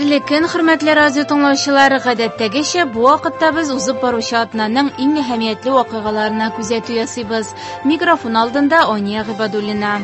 Хәерле көн, хөрмәтле радио тыңлаучылар! Гадәттәгечә, бу вакытта без узып баручы атнаның иң әһәмиятле вакыйгаларына күзәтү ясыйбыз. Микрофон алдында Ания Гыйбадуллина.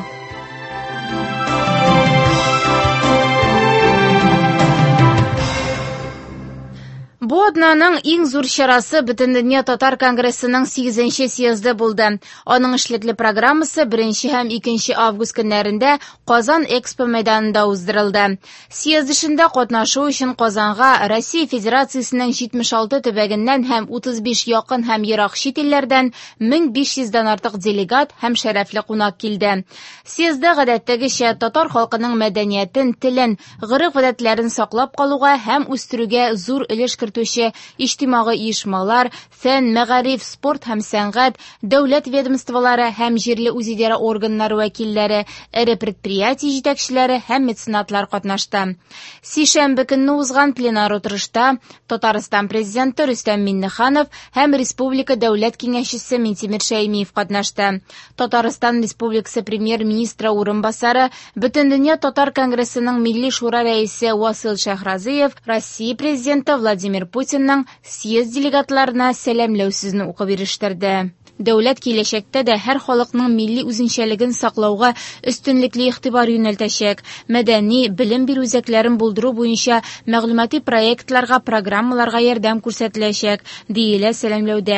Бу атнаның иң зур чарасы Бөтендөнья татар конгрессының 8 съезды булды. Аның эшлекле программасы 1 һәм 2 август көннәрендә Казан Экспо мәйданында уздырылды. Съезд эшендә катнашу өчен Казанга Россия Федерациясенең 76 төбәгеннән һәм 35 якын һәм ерак чит илләрдән 1500 дән артык делегат һәм шәрәфле кунак килде. Съездда гадәттәгечә татар халкының мәдәниятен, телен, гореф-гадәтләрен саклап калуга һәм үстерүгә зур өлеш кертүче иҗтимагый оешмалар, фән, мәгариф, спорт һәм сәнгать, дәүләт ведомстволары һәм җирле үзидарә органнары вәкилләре, эре предприятие җитәкчеләре һәм меценатлар катнашты. Сишәмбе көнне узган пленар утырышта Татарстан Президенты Рөстәм Миңнеханов һәм республика Дәүләт Киңәшчесе Минтимер Шәймиев катнашты. Татарстан Республикасы Премьер-министры урынбасары, Бөтендөнья татар конгрессының Милли шура рәисе Васил Шәйхразыев Россия Президенты Владимир Путинның съезд делегатларына сәламләү сүзен укып ирештерде. Дәүләт киләчәктә дә һәр халыкның милли үзенчәлеген саклауга өстенлекле игътибар юнәлтәчәк, мәдәни, белем бирү үзәкләрен булдыру буенча мәгълүмати проектларга, программаларга ярдәм күрсәтеләчәк, диелә сәламләүдә.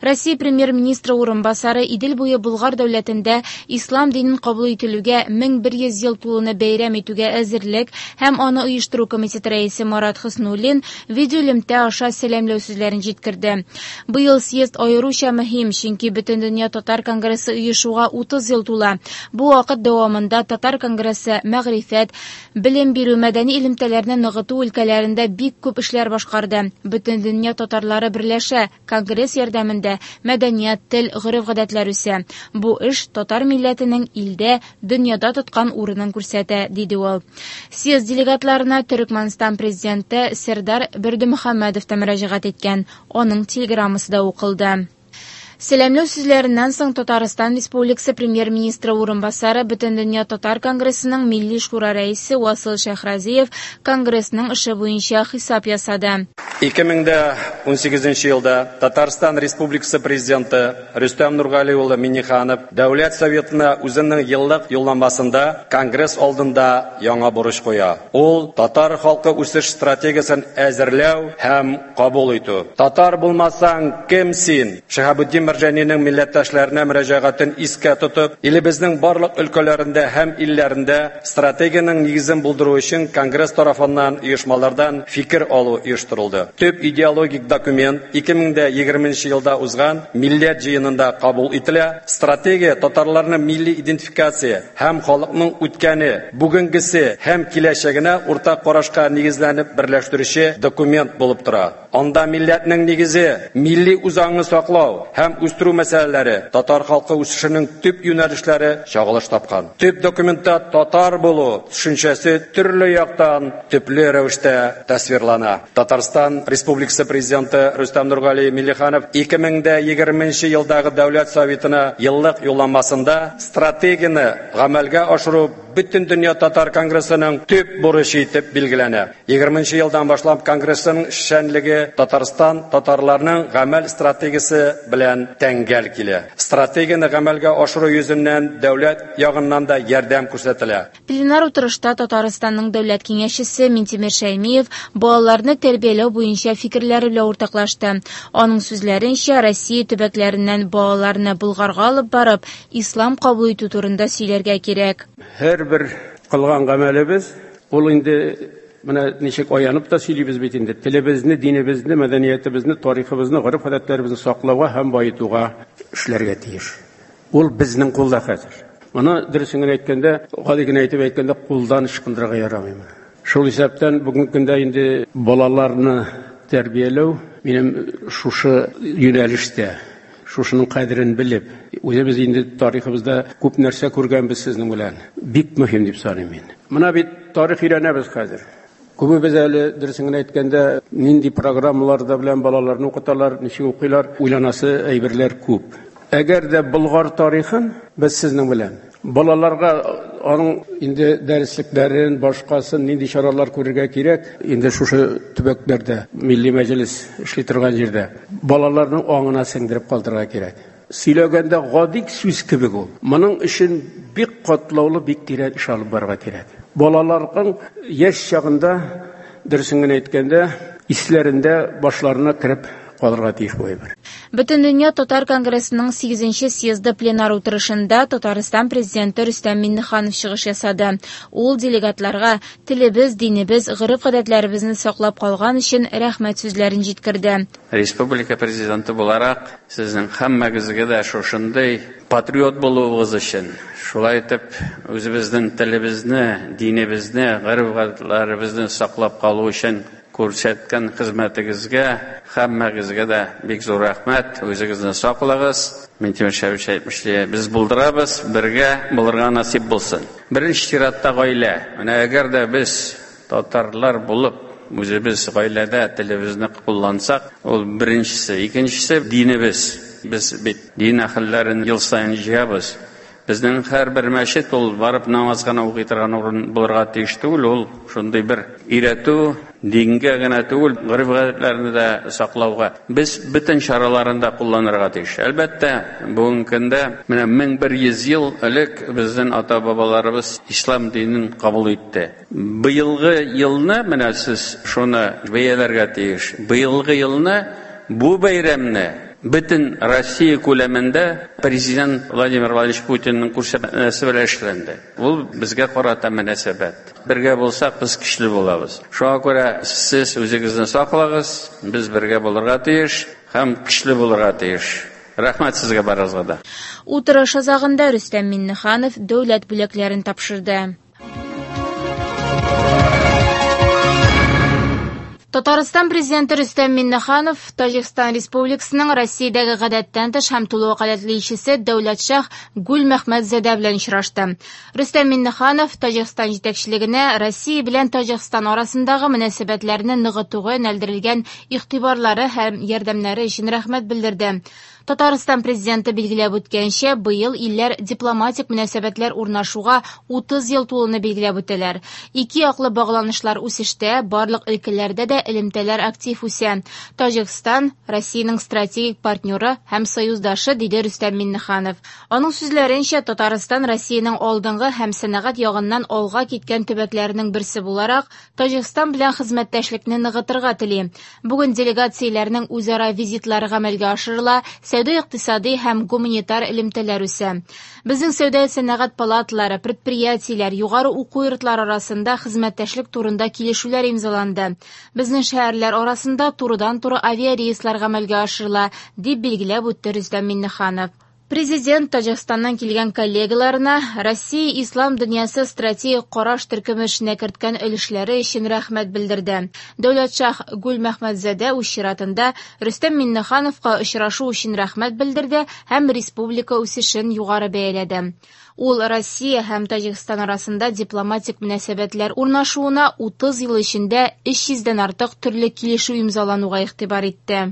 Россия Премьер-министры урынбасары Идел буе Болгар дәүләтендә ислам динен кабул ителүгә 1100 ел тулуны бәйрәм итүгә әзерлек һәм аны оештыру комитеты рәисе Марат Хөснуллин видеоэлемтә аша сәламләү сүзләрен җиткерде. Быел съезд аеруча мөһим, чөнки Бөтендөнья татар конгрессы оешуга 30 ел тула. Бу вакыт дәвамында татар конгрессы мәгърифәт, Белем бирү, мәдәни элемтәләрне ныгыту өлкәләрендә бик күп эшләр башкарды. Бөтендөнья татарлары берләшә, конгресс ярдәмендә мәдәният, тел, гореф-гадәтләр үсә. Бу эш татар милләтенең илдә, дөньяда тоткан урынын күрсәтә, диде ул. Съезд делегатларына Төрекмәнстан президенты Сердар Бердымөхәммәдов та мөрәҗәгать иткән, аның телеграммасы да укылды. Сәламләү сүзләреннән соң Татарстан Республикасы Премьер-министры урынбасары, Бөтендөнья татар конгрессының Милли шура рәисе Васил Шәйхразиев конгрессның эше буенча хисап ясады. 2018 елда Татарстан Республикасы Президенты Рөстәм Нургали улы Миңнеханов Дәүләт Советына үзенең еллык юлламасында Конгресс алдында яңа бурыч куя. Ул, татар халкы үсеш стратегиясен әзерләү һәм кабул итү. Татар булмасаң, кем син? Шиһабетдин Мәрҗанинең милләттәшләренә мөрәҗәгатен искә тотып, илебезнең барлык өлкәләрендә һәм илләрендә стратегиянең нигезен булдыру өчен Конгресс тарафыннан оешмалардан фикер алу оештырылды. Төп идеологик документ 2020 нче елда узган Милләт җыенында кабул ителә. Стратегия татарларны милли идентификация һәм халыкның үткәне, бүгенгесе һәм киләчәгенә уртак карашка нигезләнеп берләштерүче документ булып тора. Анда милләтнең нигезе, милли үзаңны саклау һәм үстерү мәсьәләләре, татар халкы үсешенең төп юнәлешләре чагылыш тапкан. Төп документта татар булу төшенчәсе төрле яктан төпле рәвештә тасвирлана. Татарстан Республикасы Президенты Рөстәм Нургали Миңнеханов 2020 нче елдагы Дәүләт Советына еллык юлламасында стратегияне гамәлгә ашыру Бөтендөнья татар конгрессының төп бурычы итеп билгеләнә. 20 нче елдан башлап конгрессның эшчәнлеге Татарстан татарларының гамәл стратегиясе белән тәңгәл килә. Стратегияне гамәлгә ашыру йөзеннән дәүләт ягыннан да ярдәм күрсәтелә. Пленар утырышта Татарстанның Дәүләт Киңәшчесе Минтимер Шәймиев балаларны тәрбияләү буенча фикерләре белән уртаклашты. Аның сүзләренчә, Россия төбәкләреннән балаларны Болгарга алып барып, ислам кабул итү турында сөйләргә кирәк. Һәрбер кылган гамәлебез, ул инде менә ничек аянып та сөйлибез бит инде, телебезне, динебезне, мәдәниятебезне, тарихыбызны, гореф-гадәтләребезне саклауга һәм баетуга эшләргә тиеш. Ул безнең кулда хәзер. Моны дөресен генә әйткәндә, гади генә итеп әйткәндә, кулдан ычкындырырга ярамый моны. Шул исәптән бүгенге көндә инде балаларны тәрбияләү минем шушы юнәлештә, шушының кадерен белеп, үзебез инде тарихыбызда күп нәрсә күргәнбез сезнең белән. Бик мөһим дип саныйм мин. Менә бит тарих өйрәнәбез хәзер. Күбебез әле, дөресен генә әйткәндә, нинди программаларда белән балаларны укыталар, ничек укыйлар, уйланасы әйберләр күп. Әгәр дә Болгар тарихын без сезнең белән балаларга Аның инде дәреслекләрен, башкасын, нинди чаралар күрергә кирәк, инде шушы төбәкләрдә, Милли Мәҗлес эшли торган җирдә балаларның аңына сеңдереп калдырырга кирәк. Сөйләгәндә гади сүз кебек ул. Моның өчен бик катлаулы, бик тирән эш алып барырга кирәк. Балаларның яшь чагында, дөресен генә әйткәндә, исләрендә, башларына кереп калырга тиеш бу әйбер. Бөтендөнья татар конгрессының 8 съезды пленар утырышында Татарстан президенты Рөстәм Миңнеханов чыгыш ясады. Ул делегатларга телебез, динебез, гореф-гадәтләребезне саклап калган өчен рәхмәт сүзләрен җиткерде. Республика президенты буларак, сезнең һәммәгезгә дә шушындый патриот булуыгыз өчен, шулай итеп үзебезнең телебезне, динебезне, гореф-гадәтләребезне саклап калу өчен күрсәткән хезмәтегезгә һәммәгезгә дә бик зур рәхмәт. Үзегезне саклагыз. Минтимер Шәймиевич әйтмешли, без булдырабыз, бергә булырга насыйп булсын. Беренче чиратта гаилә. Менә әгәр дә без татарлар булып, үзебез гаиләдә телебезне куллансак, ул беренчесе. Икенчесе динебез. Без бит дин әһелләрен ел саен җыябыз. Безнең һәрбер мәчет ул барып намаз гына укый торган урын булырга тиеш түгел, ул шундый бер өйрәтү, дингә генә түгел, гореф-гадәтләрне дә саклауга. Без бөтен чараларын да кулланырга тиеш. Әлбәттә, бүгенге көндә менә 1100 ел элек безнең ата-бабаларыбыз ислам динен кабул итте. Быелгы елны менә сез шуны бәяләргә тиеш. Быелгы елны бу бәйрәмне бөтен Россия күләмендә президент Владимир Владимирович Путинның күрсәтмәсе белән эшләнде. Ул безгә карата мөнәсәбәт. Бергә булсак, без көчле булабыз. Шуңа күрә сез үзегезне саклагыз, без бергә булырга тиеш һәм көчле булырга тиеш. Рәхмәт сезгә барыгызга да. Утырыш азагында Рөстәм Миңнеханов дәүләт бүләкләрен тапшырды. Татарстан президенты Рөстәм Миңнеханов Таҗикстан Республикасының Россиядәге гадәттән тыш һәм тулы вәкаләтле илчесе Дәүләтшах Гүлмәхмәтзадә белән очрашты. Рөстәм Миңнеханов Таҗикстан җитәкчелегенә Россия белән Таҗикстан арасындагы мөнәсәбәтләрне ныгытуга юнәлдерелгән игътибарлары һәм ярдәмнәре өчен рәхмәт белдерде. Татарстан президенты билгеләп үткәнчә, быел илләр дипломатик мөнәсәбәтләр урнашуга 30 ел тулуны билгеләп үтәләр. Ике яклы багланышлар үсештә, барлык өлкәләрдә дә элемтәләр актив үсә. Таҗикстан Россиянең стратегик партнеры һәм союздашы, диде Рөстәм Миңнеханов. Аның сүзләренчә, Татарстан Россиянең алдынгы һәм сәнәгать ягыннан алга киткән төбәкләренең берсе буларак, Таҗикстан белән хезмәттәшлекне ныгытырга тели. Бүген делегацияләрнең үзара визитлары гамәлгә ашырыла, сәүдә-икътисади һәм гуманитар элемтәләр үсә. Безнең сәүдә-сәнәгать палаталары, предприятиеләр, югары уку йортлары арасында хезмәттәшлек турында килешүләр имзаланды. Безнең шәһәрләр арасында турыдан-туры авиарейслар гамәлгә ашырыла, дип билгеләп үтте Рөстәм Миңнеханов. Президент Таҗикстаннан килгән коллегаларына Россия ислам дөньясы стратегик караш төркеме эшенә керткән өлешләре өчен рәхмәт белдерде. Дәүләтшах Гүлмәхмәтзадә үз чиратында Рөстәм Миңнехановка очрашу өчен рәхмәт белдерде һәм республика үсешен югары бәяләде. Ул Россия һәм Таҗикстан арасында дипломатик мөнәсәбәтләр урнашуына 30 ел эчендә 300дән артык төрле килешү имзалануга игътибар итте.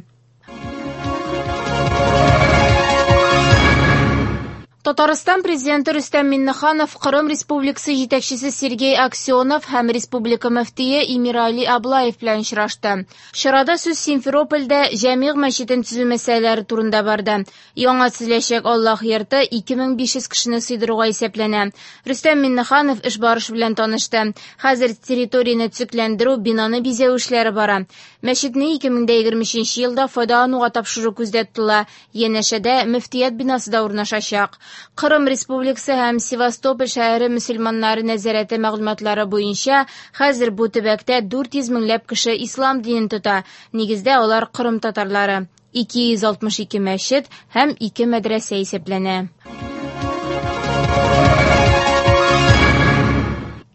Татарстан президенты Рөстәм Миңнеханов Кырым Республикасы җитәкчесе Сергей Аксенов һәм республика мөфтие Эмирали Аблаев белән очрашты. Чарада сүз Симферопольдә Җәмигъ мәчетен төзү мәсьәләләре турында барды. Яңа төзеләчәк Аллаһ йорты 2500 кешене сыйдыруга исәпләнә. Рөстәм Миңнеханов эш барышы белән танышты. Хәзер территорияне төзекләндерү, бинаны бизәү эшләре бара. Мәчетне 2023 елда файдалануга тапшыру күздә тотыла. Янәшәдә мөфтият бинасы да урнашачак. Кырым Республикасы һәм Севастополь шәһәре мөселманнары нәзарәте мәгълүматлары буенча хәзер бу төбәктә 400 меңләп кеше ислам динен тота. Нигездә алар Кырым татарлары. 262 мәчет һәм 2 мәдрәсә исәпләнә.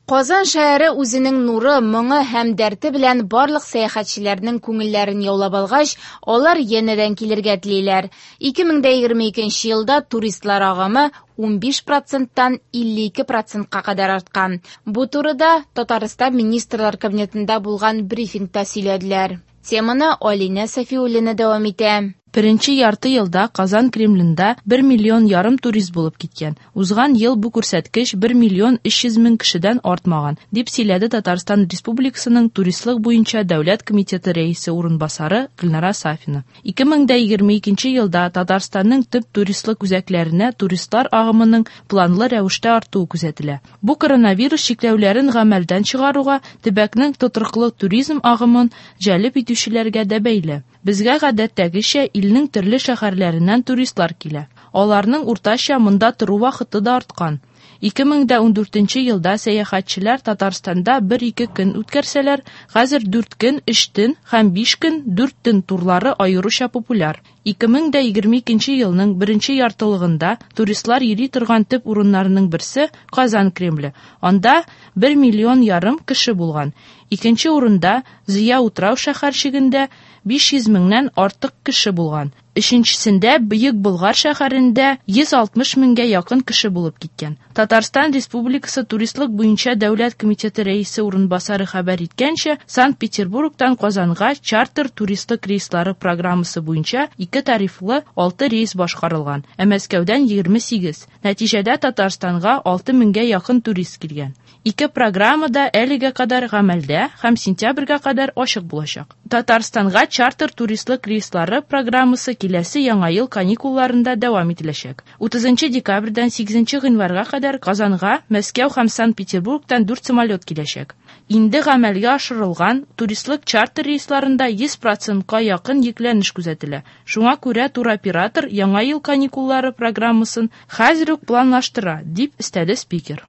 Казан шәһәре үзенең нуры, моңы һәм дәрте белән барлык сәяхәтчеләрнең күңелләрен яулап алгач, алар янәдән килергә телиләр. 2022 елда туристлар агымы 15%-тан 52%-ка кадәр арткан. Бу турыда Татарстан Министрлар Кабинетында булган брифингта сөйләделәр. Теманы Алинә Сафиуллина дәвам итә. Беренче ярты елда Казан Кремлендә 1,5 миллион турист булып киткән. Узган ел бу күрсәткеч 1 миллион 300 мең кешедән артмаган, дип сөйләде Татарстан Республикасының Туристлык буенча дәүләт комитеты рәисе урынбасары Гөлнара Сафина. 2022 елда Татарстанның төп туристлык үзәкләренә туристлар агымының планлы рәвештә артуы күзәтелә. Бу коронавирус чикләүләрен гамәлдән чыгаруга, төбәкнең тотрыклы туризм агымын җәлеп итүчеләргә дә бәйле. Безгә гадәттәгечә илнең төрле шәһәрләреннән туристлар килә. Аларның уртача монда тору вакыты да арткан. 2014 елда сәяхәтчеләр Татарстанда 1-2 көн үткәрсәләр, хәзер 4 көн, 3 төн һәм 5 көн, 4 төн турлары аеруча популяр. 2022 елның беренче яртылыгында туристлар йөри торган төп урыннарының берсе Казан Кремле. Анда 1,5 миллион кеше булган. Икенче урында Зөя утрау шәһәрчегендә 500 меңнән артык кеше булган. Өченчесендә Бөек Болгар шәһәрендә 160 меңгә якын кеше булып киткән. Татарстан Республикасы Туристлык буенча дәүләт комитеты рәисе урынбасары хәбәр иткәнчә, Санкт-Петербургтан Казанга чартер туристлык рейслары программасы буенча 2 тарифлы 6 рейс башкарылган, ә Мәскәүдән 28. Нәтиҗәдә Татарстанга 6 меңгә якын турист килгән. Ике программа да әлегә кадәр гамәлдә һәм сентябрьгә кадәр ачык булачак. Татарстанга чартер туристлык рейслары программасы киләсе яңа ел каникулларында дәвам ителәчәк. 30 декабрьдән 8 гыйнварга кадәр Казанга Мәскәү һәм Санкт-Петербургтан 4 самолет киләчәк. Инде гамәлгә ашырылган туристлык чартер рейсларында 100%-ка якын йөкләнеш күзәтелә. Шуңа күрә туроператор яңа ел каникуллары программасын хәзер үк планлаштыра, дип өстәде спикер.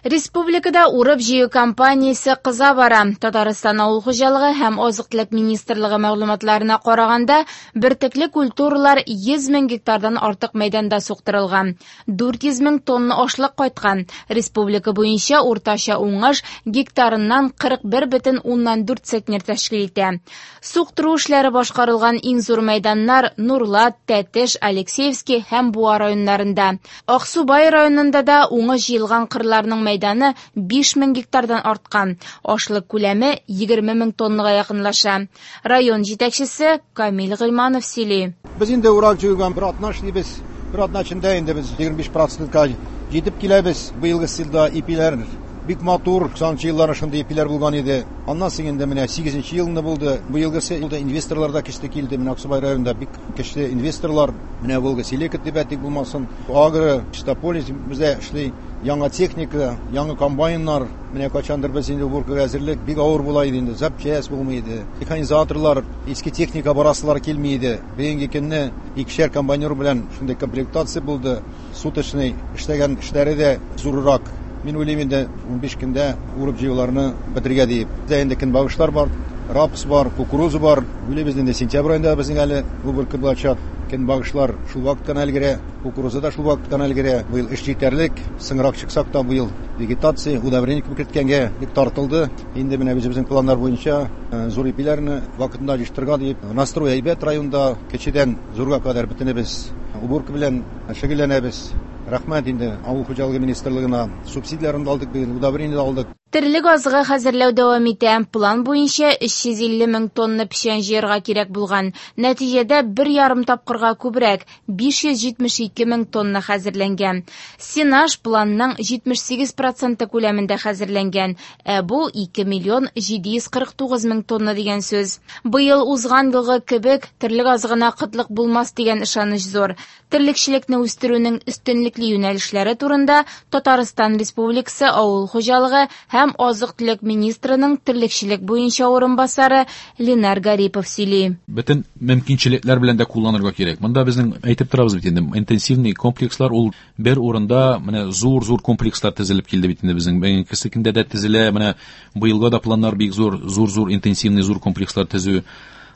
Республикада урып-җыю кампаниясе кыза бара. Татарстан авыл хуҗалыгы һәм азык-төлек министрлыгы мәгълүматларына караганда, бөртекле культуралар 100 мең гектардан артык мәйданда суктырылган. 400 мең тонна ашлык кайткан. Республика буенча уртача уңыш гектарыннан 41,4 центнер тәшкил итә. Суктыру эшләре башкарылган иң зур мәйданнар Нурлат, Тәтеш, Алексеевский һәм Буа районнарында. Аксубай районында да уңыш җыелган кырларның мәйданы 5000 гектардан арткан. Ашлык күләме 20 мең тоннага якынлаша. Район җитәкчесе Камил Гыйльманов сөйли. Без инде урак җыйган бер атна эшлибез. Бер атна эчендә инде без 25%-ка җитеп киләбез. Быелгы елда ипиләр бик матур, 90 еллар шундый ипиләр булган иде. Аннан соң инде менә 8 елны булды. Быелгысы елда инвесторлар да көчле килде. Менә Аксубай районында бик көчле инвесторлар. Менә Волга Селека дип әйтик булмасын. Агро, Чистополис бездә эшли. Яңа техника, яңа комбайннар. Менә качандыр без инде уборкага әзерлек бик авыр була иде инде. Запчасть булмый иде. Механизаторлар, иске техника барасылар килми иде. Бүгенге көнне икешәр комбайнер белән шундый комплектация булды. Суточный эшләгән эшләре дә зуррак. Мин уйлыйм инде 15 көндә урып җыюларны бетерергә диеп. Бездә инде көнбагышлар бар, рапс бар, кукуруза бар. Уйлыйбыз инде сентябрь аенда безнең әле уборка булачак. Көнбагышлар шул вакыттан өлгерә, кукуруза да шул вакыттан өлгерә. Быел эш җитәрлек, соңрак чыксак та быел вегетация, удобрение күп керткәнгә бик тартылды. Инде менә үзебезнең планнар буенча зур ипиләрне вакытында җыештырырга диеп, настрой әйбәт районда, кечедән зурга кадәр бөтенебез уборка белән шөгыльләнәбез. Рәхмәт инде авыл хуҗалыгы министрлыгына, субсидияләрен алдык, быел удобрение алдык. Терлек азыгы хәзерләү дәвам итә. План буенча 350 мең тонна печән җыярга кирәк булган. Нәтиҗәдә 1,5 тапкырга күбрәк 572 мең тонна хәзерләнгән. Сенаж планның 78% күләмендә хәзерләнгән. Ә бу 2 миллион 749 мең тонна дигән сүз. Быел узган елгы кебек терлек азыгына кытлык булмас дигән ышаныч зур. Терлекчелекне үстерүнең өстенлекле юнәлешләре турында Татарстан Республикасы Авыл хуҗалыгы һәм азык-төлек министрының терлекчелек буенча урынбасары Ленар Гарипов сөйли. Бөтен мөмкинчелекләр белән дә кулланырга кирәк. Монда безнең әйтеп торабыз бит инде, интенсивный комплекслар ул бер урында менә зур-зур комплекслар төзелеп килде бит инде безнең. Бүгенге көндә дә төзелә, менә быелга да планнар бик зур, зур-зур интенсивный зур комплекслар төзү.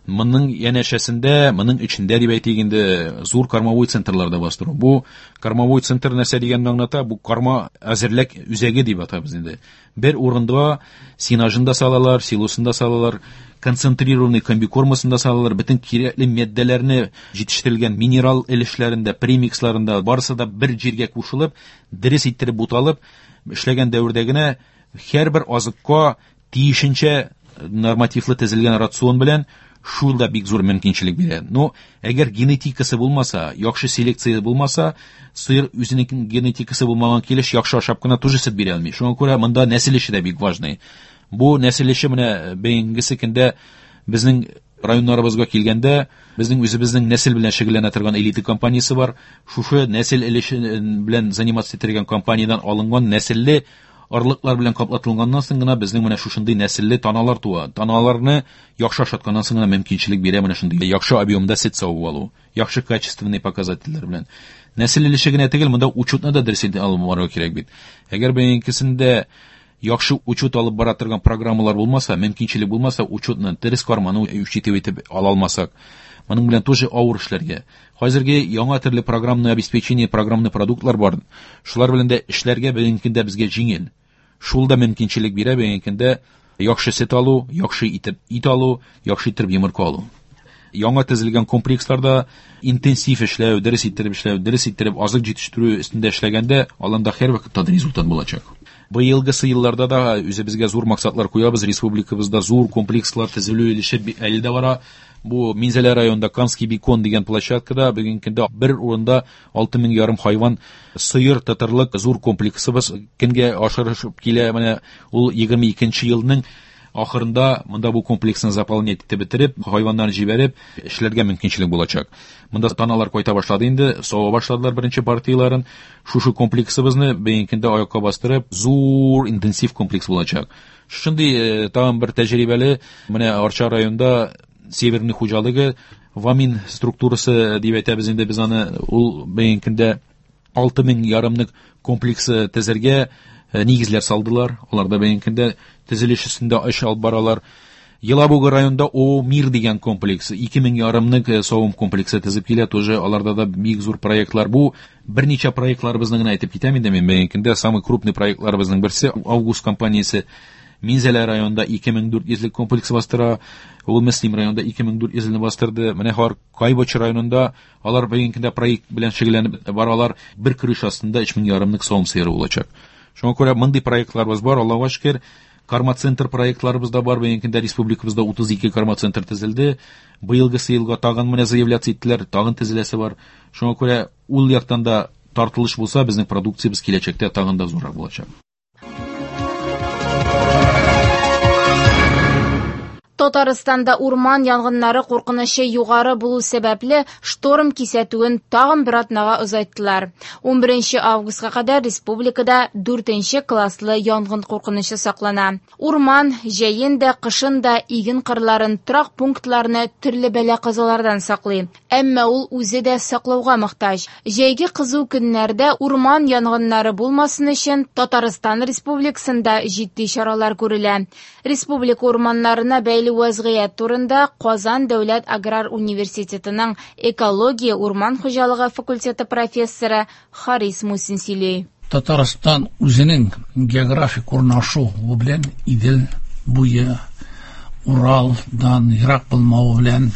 Моның янәшәсендә, моның эчендә дип әйтик инде, зур кормовой центрлар да бастыру. Бу кормовой центр нәрсә дигәнне аңлата? Бу корма әзерлек үзәге дип атабыз инде. Бер урында сенажын да салалар, силосын да салалар, концентрированный комбикормасын да салалар, бөтен кирәкле матдәләрне җитештерелгән минерал өлешләрендә, премиксларында барысы да бер җиргә кушылып, дөрес иттереп буталып эшләгән дәвердә генә һәрбер азыкка тиешенчә Нормативлы төзелгән рацион белән шул да бик зур мөмкинчелек бирә. Но әгәр генетикасы булмаса, яхшы селекция булмаса, сыер үзенең генетикасы булмаган килеш яхшы ашап кына тоже сөт бирә алмый. Шуңа күрә монда нәсел эше дә бик важный. Бу нәсел эше менә бүгенгесе көндә безнең районнарыбызга килгәндә, безнең үзебезнең нәсел белән шөгыльләнә торган Элита компаниясе бар. Шушы нәсел өлеше белән заниматься итергән компаниядән алынган нәселле орлыклар белән каплатылганнан соң гына безнең менә шушындый нәселле таналар туа. Таналарны яхшы ашатканнан соң гына мөмкинчелек бирә менә шундый яхшы объемда сөт савып алу, яхшы качественный показательләр белән. Нәсел өлеше генә түгел, монда учетны да дөрес итеп алып барырга кирәк бит. Әгәр бүгенгесендә яхшы учет алып бара торган программалар булмаса, мөмкинчелек булмаса, учетны дөрес карманы учитывать итеп ала алмасак, моның белән тоже авыр эшләргә. Хәзерге яңа төрле программное обеспечение, программный продуктлар бар. Шулар белән дә эшләргә бүгенге көндә безгә җиңел. Шул да мөмкинчелек бирә бүгенге көндә яхшы сөт алу, яхшы итеп ит алу, яхшы итеп йомырка алу. Яңа төзелгән комплексларда интенсив эшләү, дөрес иттереп эшләү, дөрес иттереп азык җитештерү өстендә эшләгәндә, аланда һәрвакытта да результат булачак. Быелгысы елларда да үзебезгә зур максатлар куябыз. Республикабызда зур комплекслар төзелү эше әле дә бара. Бу Минзәлә районында Камский бекон дигән площадкада бүгенге көндә бер урында 6500 хайван сыер тотарлык зур комплексыбыз көнгә ашырышып килә. Менә ул 22 елның ахырында монда бу комплексны заполнять итеп бетереп, хайваннарны җибәреп, эшләргә мөмкинчелек булачак. Монда таналар кайта башлады инде, сава башладылар беренче партияләрен. Шушы комплексыбызны бүгенге көндә аякка бастырып, зур интенсив комплекс булачак. Шушындый тагын бер тәҗрибәле менә Арча районында Северный хуҗалыгы Вамин структурасы дип әйтәбез инде без аны, ул бүгенге көндә 6500 комплексы төзергә нигезләр салдылар. Алар да бүгенге көндә төзелеш өстендә эш алып баралар. Елабуга районында О Мир дигән комплекс, 2500 савым комплексы төзеп килә, тоже аларда да бик зур проектлар. Бу берничә проектларыбызны гына әйтеп китәм инде мин бүгенге көндә самый крупный проектларыбызның берсе Август компаниясе Минзәлә районында 2400 комплекс бастыра, ул Мөслим районында 2400 бастырды. Менә һәр Кайбыч районында алар бүгенге көндә проект белән шөгыльләнеп баралар. Бер крыша астында 3500 савым сыеры булачак. Шуңа күрә мондый проектларыбыз бар, Аллага шөкер. Карма-центр проектларыбыз да бар. Бүгенге көндә республикабызда 32 карма-центр төзелде. Быелгысы елга тагын менә заявляться иттеләр, тагын төзеләсе бар. Шуңа күрә ул яктан да тартылыш булса, безнең продукциябез киләчәктә тагын да зуррак булачак. Татарстанда урман янгыннары куркынычы югары булу сәбәпле шторм кисәтүен тагын бер атнага озайттылар. 11 августка кадәр республикада 4 класслы янгын куркынычы саклана. Урман җәен дә, кышын да иген кырларын, торак пунктларны төрле бәла-казалардан саклый. Әмма ул үзе дә саклауга мохтаҗ. Җәйге кызу көннәрдә урман янгыннары булмасын өчен Татарстан Республикасында җитди чаралар күрелә. Республика урманнарына бәйле вәзгыять турында Казан дәүләт аграр университетының экология урман хуҗалыгы факультеты профессоры Харис Мусин сөйли. Татарстан үзенең географик урнашуы белән Идел буе, Уралдан ерак булмавы белән,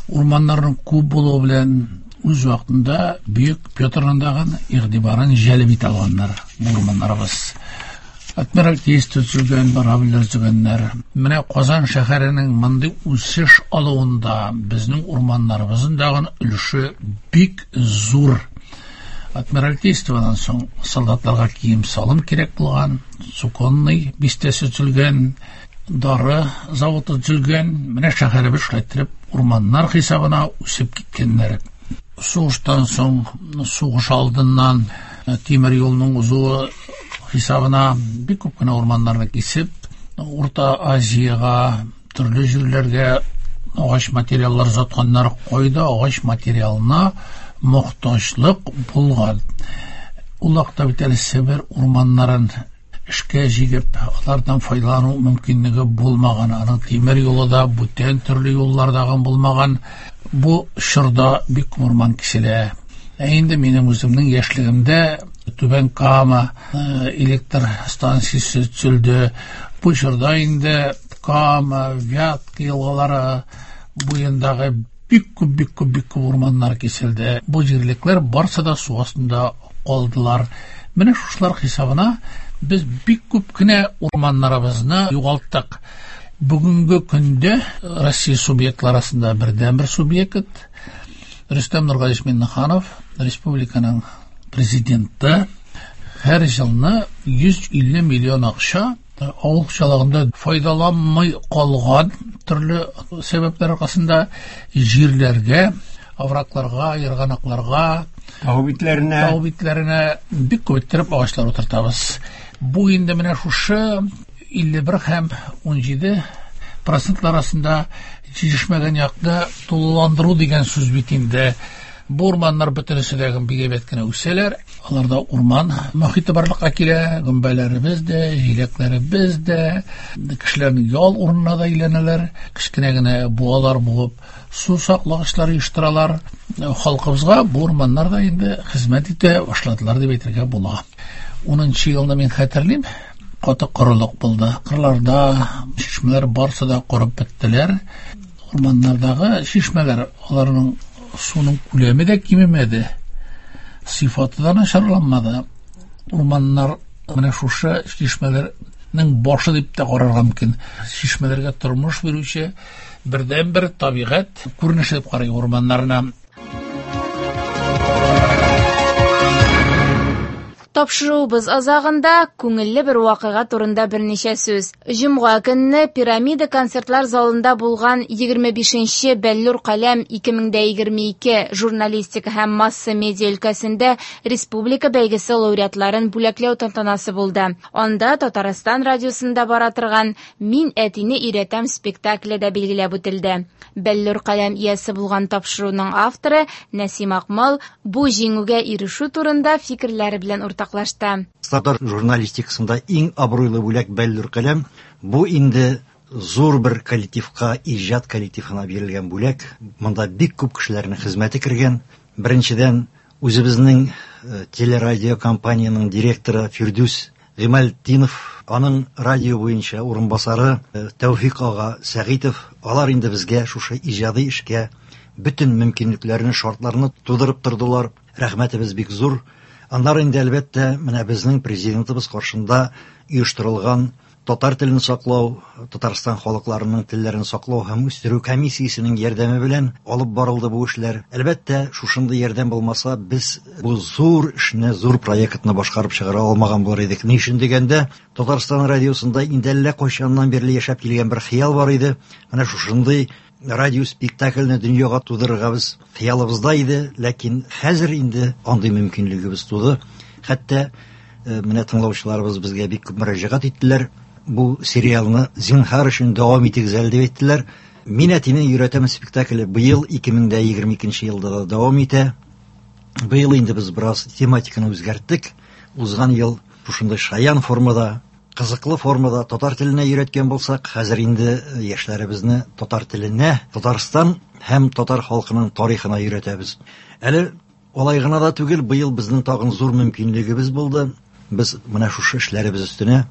урманнарның күп булуы белән үз вакытында Бөек Петрның дагы игътибарын җәлеп итә алганнар урманнарыбыз. Адмиралтейство төзелгән, корабльләр төзегәннәр. Менә Казан шәһәренең мондый үсеш алуында безнең урманнарыбызның дагы өлеше бик зур. Адмиралтействодан соң солдатларга кием-салым кирәк булган, Суконный бистәсе төзелгән, дары заводы төзелгән. Менә шәһәребез шулай итеп урманнар хисабына үсеп киткәннәр. Сугыштан соң, сугыш алдыннан тимер юлның узуы хисабына бик күп кенә урманнарны кисеп, Урта Азиягә, төрле җирләргә агач материаллар сатканнар. Кайда агач материалына мохтаҗлык булган. Ул вакытта бит әле Себер урманнарын эшкә җигеп, алардан файдалану мөмкинлеге булмаган. Аның тимер юлы да, бүтән төрле юллар да булмаган. Бу чорда бик күп урман киселә. Ә инде минем үземнең яшьлегемдә Түбән Кама электр станциясе төзелде. Бу чорда инде Кама, Вятка елгалары буендагы бик күп, бик күп, бик күп урманнар киселде. Бу җирлекләр барсы да су астында калдылар. Менә шушылар хисабына без бик күп кенә урманнарыбызны югалттык. Бүгенге көндә Россия субъектлары арасында бердәнбер субъект. Рөстәм Нургалиевич Миңнеханов, республиканың президенты, һәр елны 150 миллион акча авыл хуҗалыгында файдаланмый калган төрле сәбәпләр аркасында җирләргә, оврагларга, ерганакларга, тау битләренә, тау битләренә бик күп иттереп агачлар утыртабыз. Бу инде менә шушы 51 һәм 17 процентлар арасында җитешмәгән якны тулыландыру дигән сүз бит инде. Бу урманнар бөтенесе дә бик әйбәт кенә үсәләр. Аларда урман мохите барлыкка килә, гөмбәләребез дә, җиләкләребез дә, кешеләрнең ял урынына да әйләнәләр. Кечкенә генә буалар буып, су саклагычлар оештыралар. Халкыбызга бу урманнар да инде хезмәт итә башладылар дип әйтергә була. 10 елны мин хәтерлим, каты корылык булды. Кырларда чишмәләр барысы да корып беттеләр. Урманнардагы чишмәләр, аларның суның күләме дә кимемәде, сыйфаты да начарланмады. Урманнар менә шушы чишмәләрнең башы дип тә карарга мөмкин. Чишмәләргә тормыш бирүче бердәнбер табигать күренеше дип карый урманнарына. Тапшыруыбыз азагында күңелле бер вакыйга турында берничә сүз. Җомга көнне Пирамида концертлар залында булган 25-нче Бәллүр каләм 2022 журналистика һәм масса медиа өлкәсендә республика бәйгесе лауреатларын бүләкләү тантанасы булды. Анда Татарстан радиосында бара торган Мин әтине өйрәтәм спектакле дә билгеләп үтелде. Бәллүр каләм иясе булган тапшыруның авторы Нәсим Акмал бу җиңүгә ирешү турында фикерләре белән уртаклашты. Татар журналистикасында иң абруйлы бүләк Бәллүр каләм. Бу инде зур бер коллективка, иҗат коллективына бирелгән бүләк. Монда бик күп кешеләрнең хезмәте кергән. Беренчедән, үзебезнең телерадиокомпаниянең директоры Фирдүс Гыймалтдинов, аның радио буенча урынбасары Тәүфик ага Сәгыйтов, алар инде безгә шушы иҗади эшкә бөтен мөмкинлекләрне, шартларны тудырып тордылар. Рәхмәтебез бик зур. Аннары инде, әлбәттә, менә безнең президентыбыз каршында оештырылган татар телен саклау, Татарстан халыкларының телләрен саклау һәм үстерү комиссиясенең ярдәме белән алып барылды бу эшләр. Әлбәттә, шушындый ярдәм булмаса, без бу зур эшне, зур проектны башкарып чыгара алмаган булыр идек. Ни өчен дигәндә, Татарстан радиосында инде әллә кайчаннан бирле яшәп килгән бер хыял бар иде. Менә шушындый радио спектакльне дөньяга тудырырга без хыялыбызда иде, ләкин хәзер инде андый мөмкинлегебез туды. Хәтта менә тыңлаучыларыбыз безгә бик күп мөрәҗәгать иттеләр. Бу сериалны зинһар өчен дәвам итегез әле дип әйттеләр. Мин әтине өйрәтәм спектакле быел 2022 елда да дәвам итә. Быел инде без бераз тематиканы үзгәрттек. Узган ел шушындый шаян формада, кызыклы формада татар теленә өйрәткән булсак, хәзер инде яшьләребезне татар теленә, Татарстан һәм татар халкының тарихына өйрәтәбез. Әле алай гына да түгел, быел безнең тагын зур мөмкинлегебез булды. Без менә шушы эшләребез өстенә,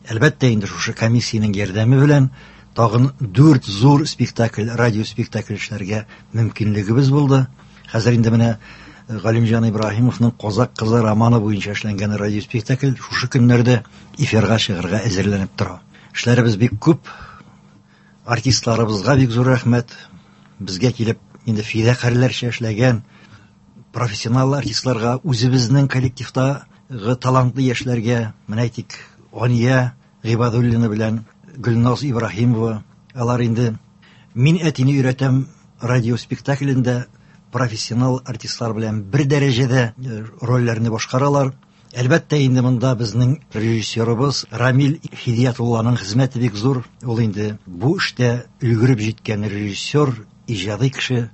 әлбәттә инде шушы комиссиянең ярдәме белән тагын 4 зур спектакль, радио спектакль эшләргә мөмкинлегебез булды. Хәзер инде менә Галимҗан Ибраһимовның Казак кызы романы буенча эшләнгән радио спектакль шушы көннәрдә эфирга чыгарга әзерләнеп тора. Эшләребез бик күп. Артистларыбызга бик зур рәхмәт. Безгә килеп инде фидакарьләрчә эшләгән профессионал артистларга, үзебезнең коллективтагы талантлы яшьләргә, менә әйтик, Ания Гыйбадуллина белән Гөлназ Ибраһимова, алар инде Мин әтине өйрәтәм радио спектаклендә профессионал артистлар белән бер дәрәҗәдә рольләрне башкаралар. Әлбәттә инде монда безнең режиссерыбыз Рамил Хидиятулланың хезмәте бик зур. Ул инде бу эштә өлгереп җиткән режиссер, иҗади кеше.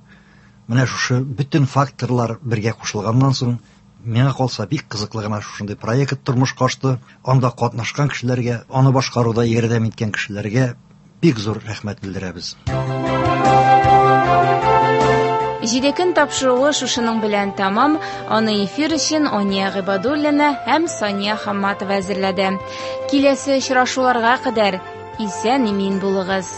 Менә шушы бөтен факторлар бергә кушылганнан соң, миңа калса бик кызыклы гына шушындый проект тормышка ашты. Анда катнашкан кешеләргә, аны башкаруда ярдәм иткән кешеләргә бик зур рәхмәт белдерәбез. Җиде көн тапшыруы шушының белән тәмам. Аны эфир өчен Ания Гыйбадуллина һәм Сания Хамматова әзерләде. Киләсе очрашуларга кадәр исән-имин булыгыз.